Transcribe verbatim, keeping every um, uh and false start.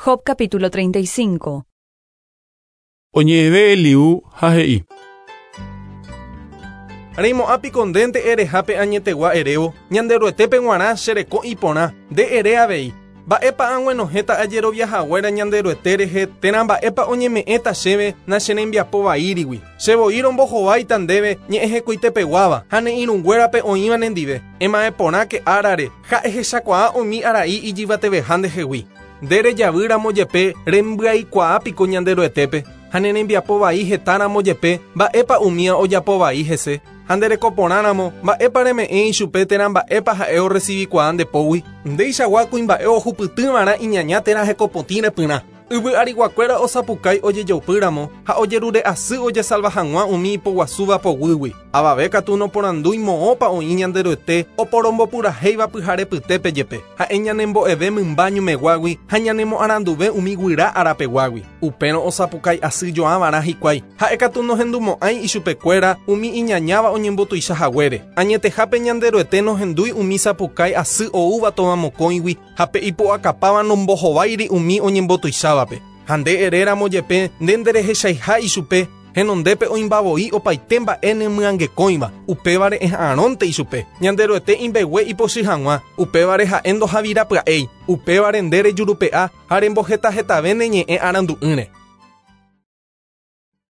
Job capítulo treinta y cinco. Oñe'ẽve Eliú ha he'i. Reimo'ã piko ndénte erehápe añetegua erévo, Ñanderuetépe g̃uarã chereko iporã, nde ere avei. Mba'épa ag̃uenohẽta ajeroviahaguéra Ñanderuete rehe térã mba'épa oñeme'ẽta chéve nacherembiapovaírigui. Chevoi rombohováita ndéve ñe'ẽhekuitepeguáva ha ne irũnguérape oĩva nendive. Ema'ẽporãke árare ha ehechakuaa umi arai ijyvateveha ndehegui. Nde rejavýramo jepe rembyaikuaa piko Ñanderuetépe ha ne rembiapovai hetáramo jepe mba'épa umía ojapovai hese. Ha nderekoporãramo mba'épa reme'ẽ ichupe térã mba'épa ha'e orecibikuaa ndepógui. Ndeichagua kuimba'e ohupytývarã iñaña térã hekopotĩ repyrã. Yvy ariguakuéra osapukái ojejaupýramo ha ojerure'asy ojesalva hag̃ua umi ipoguasúva poguýgui. Avave katu noporandúi moõpa oĩ Ñanderuete oporombopurahéiva pyharepytépe jepe. Ha'e ñanembo'eve mymba ñumeguágui ha ñanemoaranduve umi guyra arapeguágui. Upérõ osapukái asy jo'ãvarã hikuái. Ha'e katu nohendumo'ãi ichupekuéra umi iñañáva oñembotuichahaguére. Añetehápe Ñanderuete nohendúi umi sapukái asy oúva tovamokõigui ha pe ipu'akapáva nombohováiri umi oñembotuichávape. Ha nde eréramo jepe nde nderehechaiha ichupe henondépe oĩmbavoi opaite mba'e nemyangekõiva, upévare eha'arõnte ichupe. Ñanderuete imbegue ipochy hag̃ua, upévare ha'e ndohavirapya'éi, upévare nde rejurupe'a ha rembohetahetave ne ñe'ẽ arandu'ỹre.